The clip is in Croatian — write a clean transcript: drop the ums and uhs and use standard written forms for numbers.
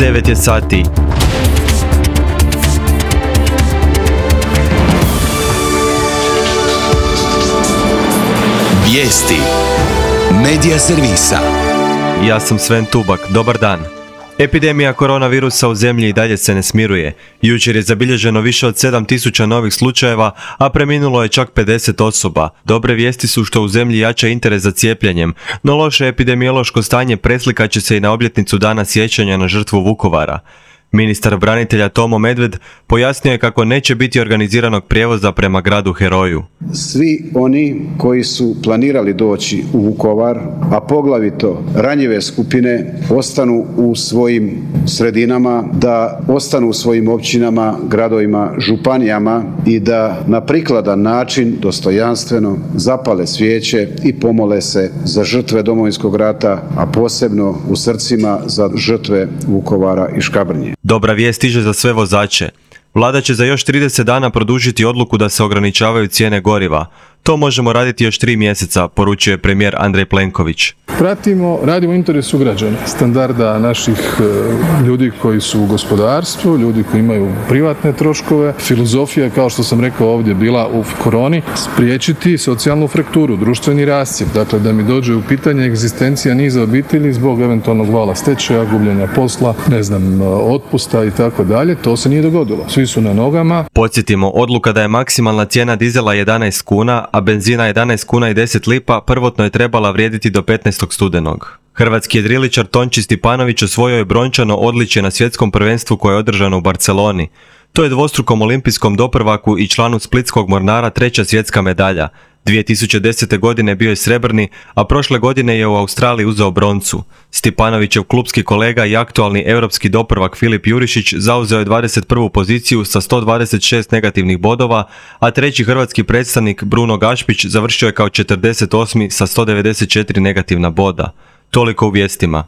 9 je sati. Vijesti Medija servisa. Ja sam Sven Tubak, dobar dan. Epidemija koronavirusa u zemlji i dalje se ne smiruje. Jučer je zabilježeno više od 7.000 novih slučajeva, a preminulo je čak 50 osoba. Dobre vijesti su što u zemlji jača interes za cijepljenjem, no loše epidemiološko stanje preslikat će se i na obljetnicu Dana sjećanja na žrtvu Vukovara. Ministar branitelja Tomo Medved pojasnio je kako neće biti organiziranog prijevoza prema gradu heroju. Svi oni koji su planirali doći u Vukovar, a poglavito ranjive skupine, ostanu u svojim sredinama, da ostanu u svojim općinama, gradovima, županijama i da na prikladan način, dostojanstveno, zapale svijeće i pomole se za žrtve Domovinskog rata, a posebno u srcima za žrtve Vukovara i Škabrnje. Dobra vijest stiže za sve vozače. Vlada će za još 30 dana produžiti odluku da se ograničavaju cijene goriva. To možemo raditi još 3 mjeseca, poručio je premijer Andrej Plenković. Radimo u interesu građana, standarda naših ljudi koji su u gospodarstvu, ljudi koji imaju privatne troškove. Filozofija, kao što sam rekao ovdje, bila u koroni, spriječiti socijalnu frakturu, društveni rascjep. Dakle, da mi dođe u pitanje egzistencija niza obitelji zbog eventualnog vala stečaja, gubljenja posla, otpusta i tako dalje. To se nije dogodilo. Svi su na nogama. Podsjetimo, odluka da je maksimalna cijena dizela 11 kuna, a benzina 11 kuna i 10 lipa prvotno je trebala vrijediti do 15. studenog. Hrvatski jedriličar Tonči Stipanović osvojio je brončano odličje na svjetskom prvenstvu koje je održano u Barceloni. To je dvostrukom olimpijskom doprvaku i članu splitskog Mornara 3. svjetska medalja. 2010. godine bio je srebrni, a prošle godine je u Australiji uzeo broncu. Stipanovićev klupski kolega i aktualni europski doprvak Filip Jurišić zauzeo je 21. poziciju sa 126 negativnih bodova, a treći hrvatski predstavnik Bruno Gašpić završio je kao 48. sa 194 negativna boda. Toliko u vijestima.